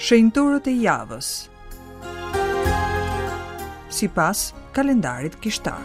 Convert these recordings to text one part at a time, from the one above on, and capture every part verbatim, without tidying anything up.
Shenjtorët e javës sipas kalendarit kishtar.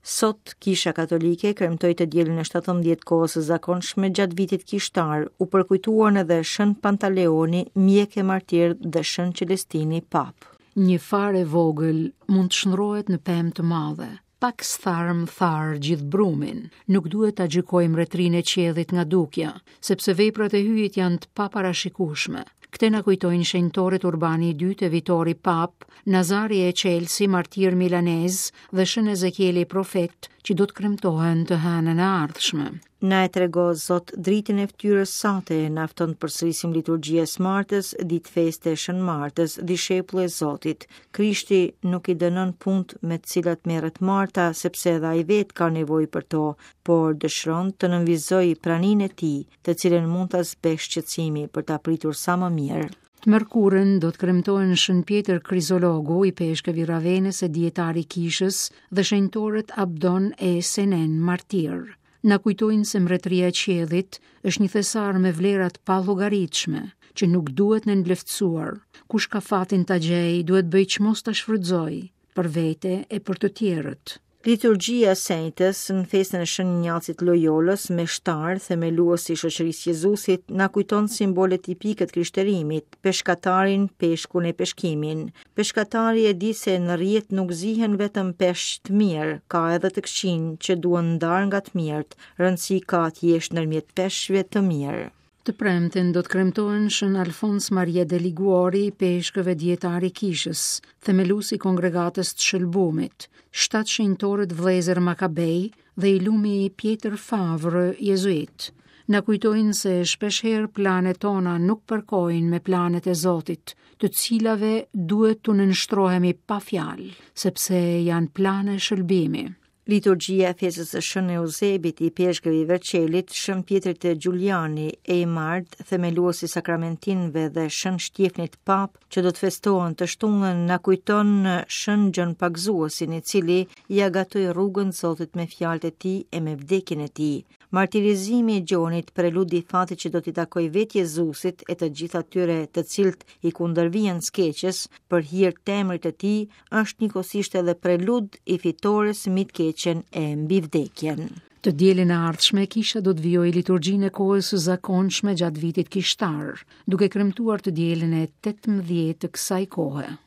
Sot, Kisha Katolike kremtoi të dielën e shtatëmbëdhjetë kohës së zakonshme gjatë vitit kishtar, u përkujtuan edhe Shën Pantaleoni, mjek e martir dhe Shën Celestini, pap. Një farë e vogël mund të shndrohet në pemë të madhe. Pak stharm thar gjithë brumin. Nuk duhet ta gjykojmë mbretërinë e qiellit nga dukja, sepse veprat e hyjit janë të paparashikueshme. Këtë na kujtojnë shenjtorët Urbani i dytë e Vitori Pap, Nazari e Çelsi, martir milanez dhe Shën Ezekieli profet, që do të kremtohen të hënën e ardhshme. Na e trego Zot dritën e fytyrës sate, na fton të përsërisim liturgjia e së Martës, ditë feste e Shën Martës, dishepull e Zotit. Krishti nuk i dënon punët me të cilat merret Marta, sepse edhe ai vetë ka nevojë për to, por dëshiron të nënvizojë praninë e tij, të cilën mund ta zbeh shqetësimi për ta pritur sa më mirë. Të mërkurën do të kremtohen Shën Pjetër Krizologu, i peshkëv i Ravenës e dietar i kishës, dhe shenjtorët Abdon e Senen, martir. Na kujtojnë se mbretëria e qiellit është një thesar me vlera të pallogaritshme, që nuk duhet nënvleftësuar. Kush ka fatin ta gjej, duhet bëj çmos ta shfrytëzoj, për vete e për të tjerët. Liturgjia e Senjtës në festën e Shën Injacit Lojolës, meshtar, themelues i shoqërisë Jezusit, na kujton simbole tipike të krishterimit, peshkatarin, peshkun e peshkimin. Peshkatari e di se në rrjet nuk zihen vetëm peshq të mirë, ka edhe të këqinj që duhen ndarë nga të mirët. Rëndësi ka të jesh ndërmjet peshqve të mirë. Të premten do të kremtohen Shën Alfons Maria de Liguori, peshkëve dietar i kishës, themelues i kongregatës të Shëlbumit, shtatë shenjtorët vëllezër Makabej dhe i lumi Pjetër Favre, jezuit. Na kujtojnë se shpeshherë planet tona nuk përkojnë me planet e Zotit, të cilave duhet t'u nënshtrohemi pa fjalë, sepse janë plane shëlbimi. Liturgjia e festës së Shën Eusebit i peshkëv i Verçelit, Shën Pjetrit të Giuliani, Eymard, themelues i sakramentinëve dhe Shën Shtjefnit Pap, që do të festohen të shtunën, na kujton Shën Gjon Pagëzuesin, i cili ia gatoi rrugën Zotit me fjalët e tij e me vdekjen e tij. Martirizimi i Gjonit preludi fatit që do t'i takojë vetë Jezusit e të gjithë atyre të cilët i kundërvihen skeqes për hir të emrit të tij, është njëkohësisht edhe prelud i fitores mbi të keqen e mbi vdekjen. Të dielën e ardhshme kisha do të vijojë liturgjinë e kohës së zakonshme gjatë vitit kishtar, duke kremtuar të dielën e tetëmbëdhjetë të kësaj kohe.